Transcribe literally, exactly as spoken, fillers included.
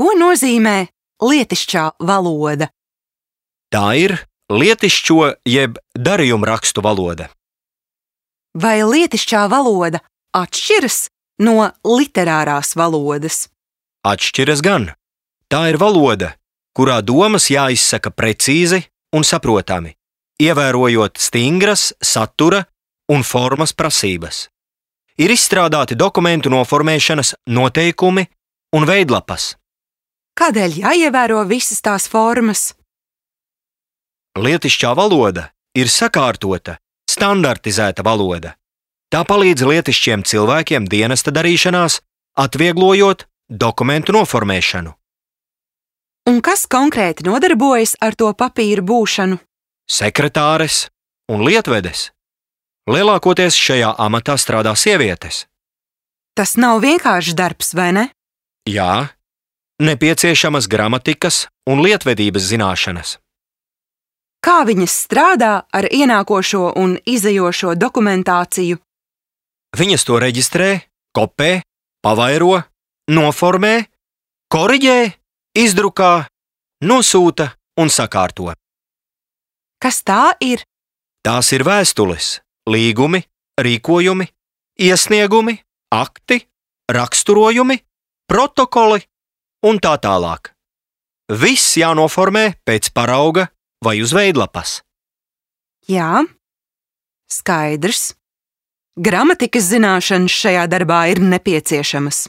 Ko nozīmē lietišķā valoda? Tā ir lietišķo jeb darījumrakstu valoda. Vai lietišķā valoda atšķiras no literārās valodas? Atšķiras gan. Tā ir valoda, kurā domas jāizsaka precīzi un saprotami, ievērojot stingras satura un formas prasības. Ir izstrādāti dokumentu noformēšanas noteikumi un veidlapas. Kādēļ jāievēro visas tās formas? Lietišķā valoda ir sakārtota, standartizēta valoda. Tā palīdz lietišķiem cilvēkiem dienesta darīšanās, atvieglojot dokumentu noformēšanu. Un kas konkrēti nodarbojas ar to papīru būšanu? Sekretāres un lietvedes. Lielākoties šajā amatā strādā sievietes. Tas nav vienkāršs darbs, vai ne? Jā, nepieciešamas gramatikas un lietvedības zināšanas. Kā viņas strādā ar ienākošo un izejošo dokumentāciju? Viņas to reģistrē, kopē, pavairo, noformē, koriģē, izdrukā, nosūta un sakārto. Kas tā ir? Tās ir vēstules, līgumi, rīkojumi, iesniegumi, akti, raksturojumi, protokoli un tā tālāk. Viss jānoformē pēc parauga vai uz veidlapas. Jā, skaidrs. Gramatikas zināšanas šajā darbā ir nepieciešamas.